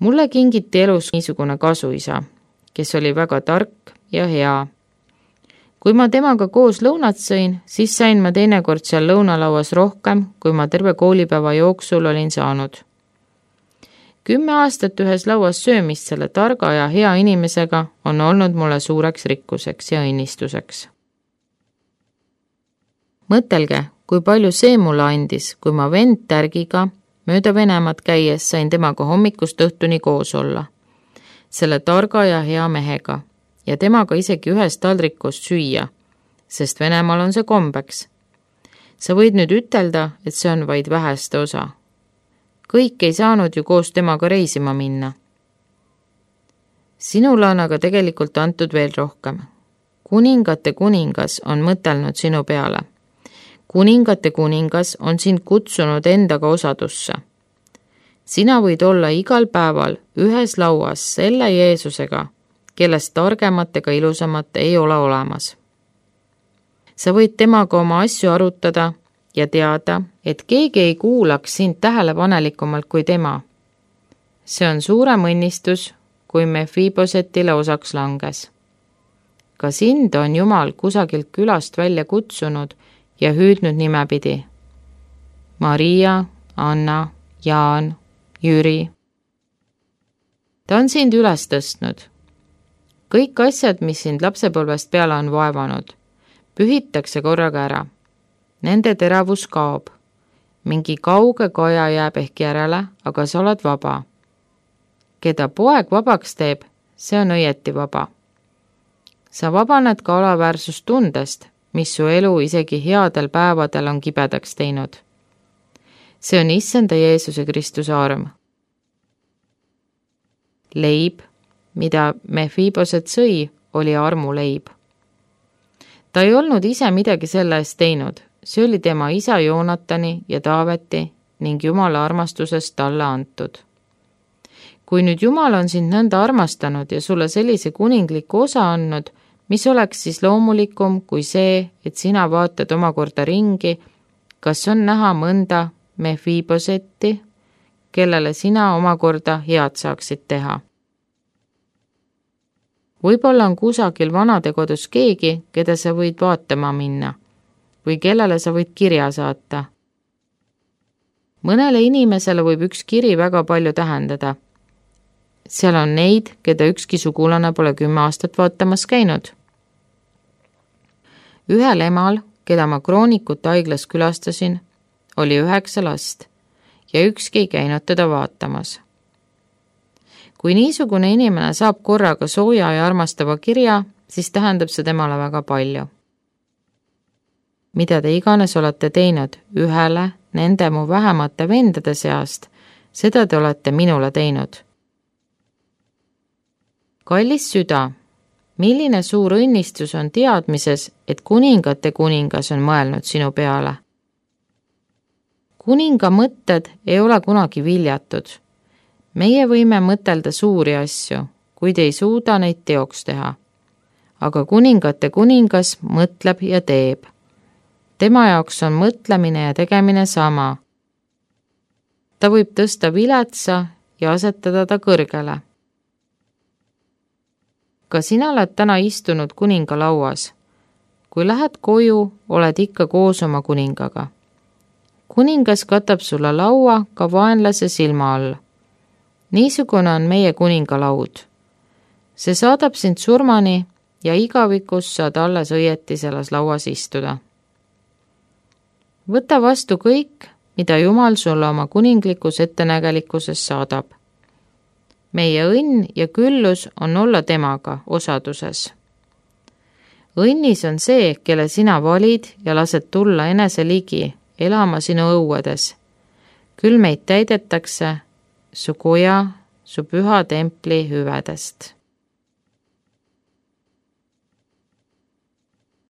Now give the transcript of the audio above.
Mulle kingiti elus niisugune kasuisa, kes oli väga tark ja hea. Kui ma temaga koos lõunat sõin, siis sain ma teinekord seal lõunalauas rohkem, kui ma terve koolipäeva jooksul olin saanud. 10 aastat ühes lauas söömist selle targa ja hea inimesega on olnud mulle suureks rikkuseks ja õnnistuseks. Mõtelge, kui palju see mulle andis, kui ma vend tärgiga mööda Venemaad käies sain temaga hommikust õhtuni koos olla. Selle targa ja hea mehega ja temaga isegi ühest taldrikust süüa, sest Venemaal on see kombeks. Sa võid nüüd ütelda, et see on vaid väheste osa. Kõik ei saanud ju koos temaga reisima minna. Sinule on aga tegelikult antud veel rohkem. Kuningate kuningas on mõtelnud sinu peale. Kuningate kuningas on sind kutsunud endaga osadusse. Sina võid olla igal päeval ühes lauas selle Jeesusega, kellest targemat ega ilusamat ei ole olemas. Sa võid temaga oma asju arutada ja teada, et keegi ei kuulaks sind tähelepanelikumalt kui tema. See on suurem õnnistus, kui Mefibosetile osaks langes. Ka sind on Jumal kusagilt külast välja kutsunud ja hüüdnud nimepidi. Maria, Anna, Jaan, Jüri. Ta on sind üles tõstnud. Kõik asjad, mis sind lapsepõlvest peale on vaevanud, pühitakse korraga ära. Nende teravus kaob. Mingi kauge kaja jääb ehk järele, aga sa oled vaba. Keda poeg vabaks teeb, see on õieti vaba. Sa vabaned ka alaväärsustundest, mis su elu isegi headel päevadel on kibedaks teinud. See on Issanda Jeesuse Kristuse arm. Leib, mida Mefiboset sõi, oli armuleib. Ta ei olnud ise midagi selle eest teinud, see oli tema isa Joonatani ja Taaveti ning Jumala armastusest talle antud. Kui nüüd Jumal on sind nõnda armastanud ja sulle sellise kuningliku osa andnud, mis oleks siis loomulikum kui see, et sina vaatad omakorda ringi, kas on näha mõnda Mefibosetti, kellele sina omakorda head saaksid teha. Võib-olla on kusagil vanadekodus keegi, keda sa võid vaatama minna või kellele sa võid kirja saata. Mõnele inimesele võib üks kiri väga palju tähendada. Seal on neid, keda ükski sugulane pole 10 aastat vaatamas käinud. Ühel emal, keda ma Kroonikute haiglas külastasin, oli 9 last ja ükski ei käinud teda vaatamas. Kui niisugune inimene saab korraga sooja ja armastava kirja, siis tähendab see temale väga palju. Mida te iganes olete teinud ühele nende mu vähemate vendade seast, seda te olete minule teinud. Kallis süda, milline suur õnnistus on teadmises, et kuningate kuningas on mõelnud sinu peale. Kuninga mõtted ei ole kunagi viljatud. Meie võime mõtelda suuri asju, kuid ei suuda neid teoks teha. Aga kuningate kuningas mõtleb ja teeb. Tema jaoks on mõtlemine ja tegemine sama. Ta võib tõsta viletsa ja asetada ta kõrgele. Ka sina oled täna istunud kuninga lauas. Kui lähed koju, oled ikka koos oma kuningaga. Kuningas katab sulle laua ka vaenlase silma all. Niisugune on meie kuningalaud. See saadab sind surmani ja igavikus saad alles õieti selles lauas istuda. Võta vastu kõik, mida Jumal sulle oma kuninglikus ettenägelikkuses saadab. Meie õnn ja küllus on olla temaga osaduses. Õnnis on see, kelle sina valid ja lased tulla enese ligi, elama sinu õuedes. Küll meid täidetakse su koja, su püha templi hüvedest.